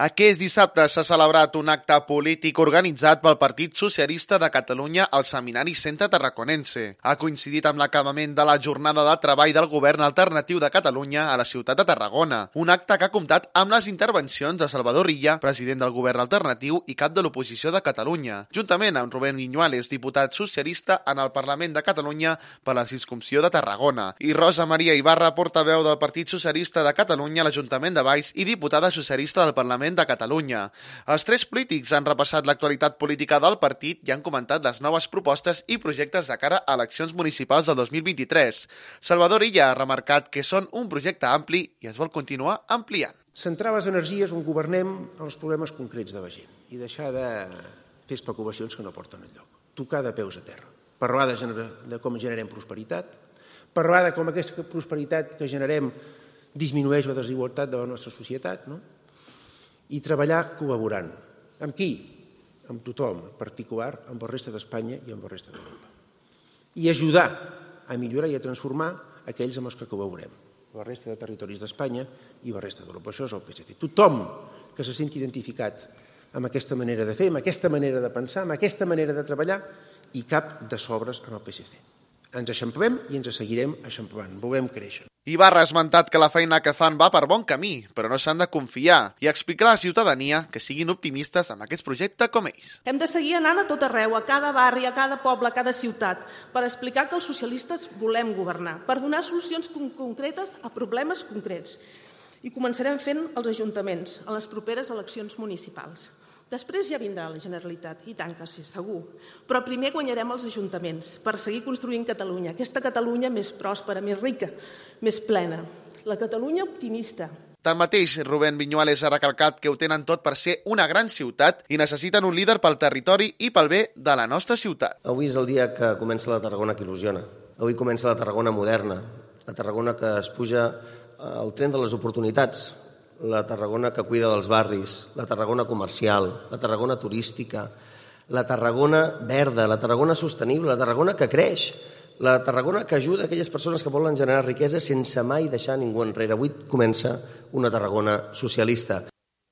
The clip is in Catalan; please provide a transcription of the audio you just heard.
Aquest dissabte s'ha celebrat un acte polític organitzat pel Partit Socialista de Catalunya al Seminari Centre Tarraconense. Ha coincidit amb l'acabament de la jornada de treball del Govern Alternatiu de Catalunya a la ciutat de Tarragona. Un acte que ha comptat amb les intervencions de Salvador Illa, president del Govern Alternatiu i cap de l'oposició de Catalunya, juntament amb Rubén Viñuales, diputat socialista en el Parlament de Catalunya per la circumscripció de Tarragona, i Rosa Maria Ibarra, portaveu del Partit Socialista de Catalunya a l'Ajuntament de Valls i diputada socialista del Parlament de Catalunya. Els tres polítics han repassat l'actualitat política del partit i han comentat les noves propostes i projectes de cara a eleccions municipals del 2023. Salvador Illa ha remarcat que són un projecte ampli i es vol continuar ampliant. Centrar les energies on governem en els problemes concrets de la gent i deixar de fer especulacions que no porten enlloc. Tocar de peus a terra. Parlar de com generem prosperitat, parlar de com aquesta prosperitat que generem disminueix la desigualtat de la nostra societat, no? I treballar col·laborant. Amb qui? Amb tothom, en particular amb la resta d'Espanya i amb la resta d'Europa. I ajudar a millorar i a transformar aquells amb els que col·laborem, la resta de territoris d'Espanya i la resta d'Europa. Això és el PSC. Tothom que se senti identificat amb aquesta manera de fer, amb aquesta manera de pensar, amb aquesta manera de treballar, i cap de sobres en el PSC. Ens eixamplem i ens seguirem eixamplant. Volem créixer. Ibarra ha esmentat que la feina que fan va per bon camí, però no s'han de confiar, i explicar a la ciutadania que siguin optimistes amb aquest projecte com ells. Hem de seguir anant a tot arreu, a cada barri, a cada poble, a cada ciutat, per explicar que els socialistes volem governar, per donar solucions concretes a problemes concrets. I començarem fent els ajuntaments en les properes eleccions municipals. Després ja vindrà la Generalitat, i tant que sí, segur. Però primer guanyarem els ajuntaments per seguir construint Catalunya, aquesta Catalunya més pròspera, més rica, més plena. La Catalunya optimista. Tanmateix, Rubén Viñuales ha recalcat que ho tenen tot per ser una gran ciutat i necessiten un líder pel territori i pel bé de la nostra ciutat. Avui és el dia que comença la Tarragona que il·lusiona. Avui comença la Tarragona moderna, la Tarragona que es puja al tren de les oportunitats, la Tarragona que cuida dels barris, la Tarragona comercial, la Tarragona turística, la Tarragona verda, la Tarragona sostenible, la Tarragona que creix, la Tarragona que ajuda aquelles persones que volen generar riquesa sense mai deixar ningú enrere. Avui comença una Tarragona socialista.